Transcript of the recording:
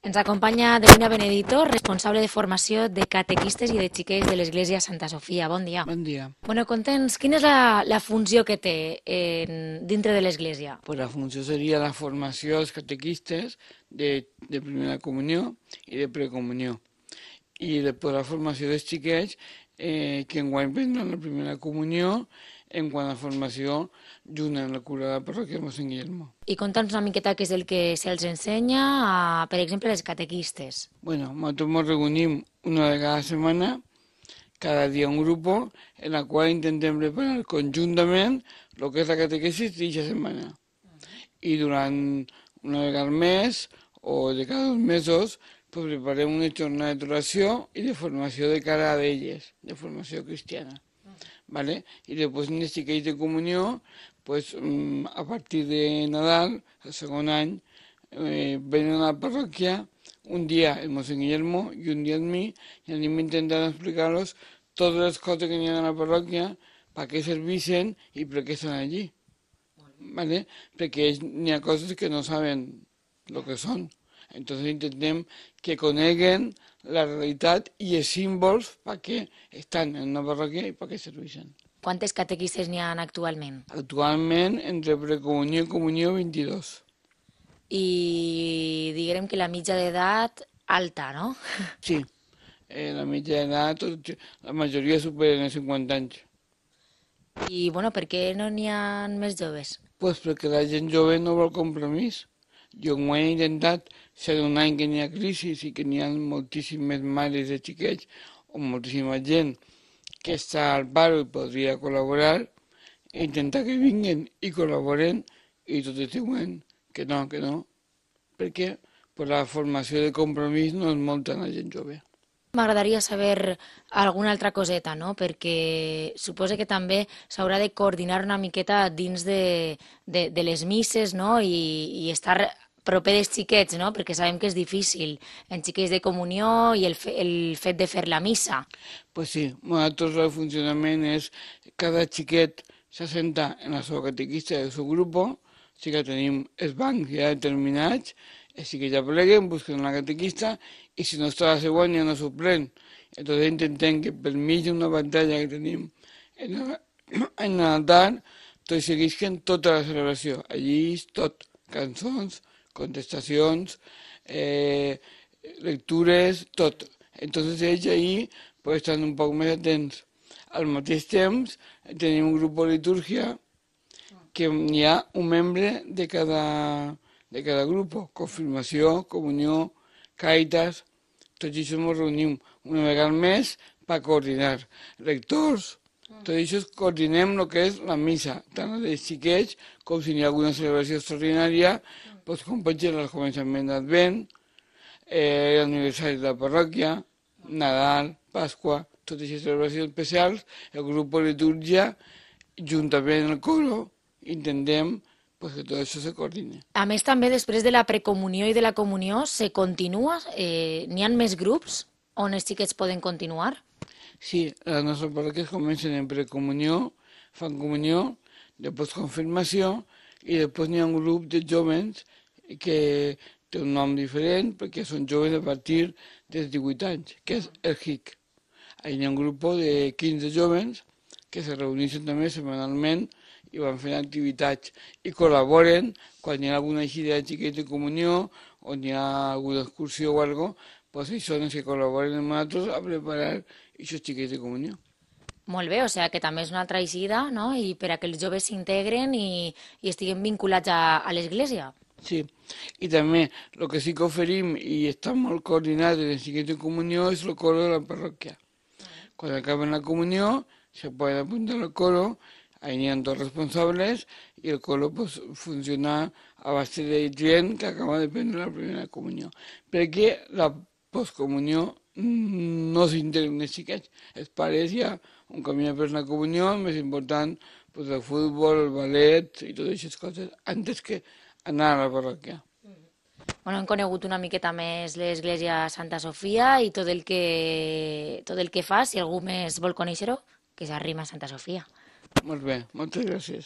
Ens acompanya Delina Benedito, responsable de formació de catequistes i de xiquets de l'Església Santa Sofia. Bon dia. Bon dia. Bueno, conta'ns, quina és la funció que té dintre de l'Església? Pues la funció seria la formació dels catequistes de primera comunió i de precomunió. I després la formació dels xiquets que enguany prendran la primera comunió en quant a formació junt amb la cura de la parròquia de Mossèn Guillermo. I conta'ns una miqueta què és el que se'ls ensenya, per exemple, als catequistes. Bueno, nosaltres ens reunim una vegada a la setmana, cada dia un grup, en la qual intentem preparar conjuntament el que és la catequesis d'aquesta setmana. I durant una vegada al mes o de cada 2 mesos pues preparem una jornada d'oració i de formació de cara a elles, de formació cristiana. ¿Vale? Y después en este xiquets de comunió, pues a partir de Nadal, el segon any, venen a la parròquia un dia el Mossèn Guillermo i un dia el mi, i anem intentant explicar-los totes les coses que n'hi ha a la parròquia, per què serveixen i per què estan allí. ¿Vale? Perquè n'hi ha coses que no saben el que són. Entonces intentem que coneguen la realitat i els símbols perquè estan en una parròquia i perquè serveixen. Quantes catequistes n'hi ha actualment? Actualment, entre precomunió i comunió, 22. I diguem que la mitja d'edat alta, no? Sí, la mitja d'edat, la majoria superen els 50 anys. I, bueno, per què no n'hi ha més joves? Pues perquè la gent jove no vol compromís. Jo ho he intentat, ser un any que n'hi ha crisi i que n'hi ha moltíssimes mares de xiquets o moltíssima gent que està al paro i podria col·laborar, intentar que vinguin i col·laboren i tot el següent que no, perquè pues, la formació de compromís no és molta en la gent jove. M'agradaria saber alguna altra coseta, no? Perquè suposo que també s'haurà de coordinar una miqueta dins de les misses, no? I estar proper dels xiquets, no? Perquè sabem que és difícil en xiquets de comunió i el fet de fer la missa. Pues sí, nosaltres el funcionament és cada xiquet s'assenta en la seva catequista del seu grup, sí que tenim els bancs ja determinats, així que ja pleguen, busquen la catequista i si no està la següent ja no s'ho pren. Entonces intentem que per mig d'una pantalla que tenim en l'altar tot seguisquen tota la celebració. Allí és tot, cançons, contestacions, lectures, tot. Entonces ells ahí pues, estan un poc més atents. Al mateix temps tenim un grup de litúrgia que hi ha un membre de cada grup, confirmació, comunió, càritas, tots això ens reunim una vegada al mes per coordinar. Lectors, tot això coordinem el que és la missa, tant la dels xiquets com si hi ha alguna celebració extraordinària, doncs, com pot ser el començament d'Advent, l'aniversari de la parròquia, Nadal, Pasqua, totes aquestes celebracions especials, el grup de litúrgia, juntament amb el coro, intentem pues, que tot això se coordine. A més, també després de la precomunió i de la comunió se continua? N'hi ha més grups on els xiquets poden continuar? Sí, les nostres parròquies comencen en precomunió, fan comunió, després confirmació i després n'hi ha un grup de jóvens que té un nom diferent perquè són joves a partir dels 18 anys, que és el HIC. Hi ha un grup de 15 jóvens que se reuneixen també setmanalment i van fent activitats i col·laboren quan hi ha alguna eixida de xiquets de comunió o hi ha alguna excursió o alguna cosa, doncs ells són els que col·laboren amb nosaltres a preparar aquests xiquets de comunió. Molt bé, o sigui que també és una altra eixida, no? I per a que els joves s'integren i estiguen vinculats a l'Església. Sí, i també el que sí que oferim i està molt coordinat en els xiquets de comunió és el coro de la parròquia. Quan acaben la comunió se poden apuntar al coro, ahí n'hi ha dos responsables i el coro pues, funciona a base de gent que acaba de prendre la primera comunió. Perquè la postcomunió no s'integren els xiquets. Els pares ja un camí per la comunió, el més important, pues, el futbol, el ballet i totes aquestes coses, antes que anar a la parròquia. Bueno, hem conegut una miqueta més l'Església Santa Sofia i tot el que fa, si algú més vol conèixer-ho, que s'arrima a Santa Sofia. Molt bé, moltes gràcies.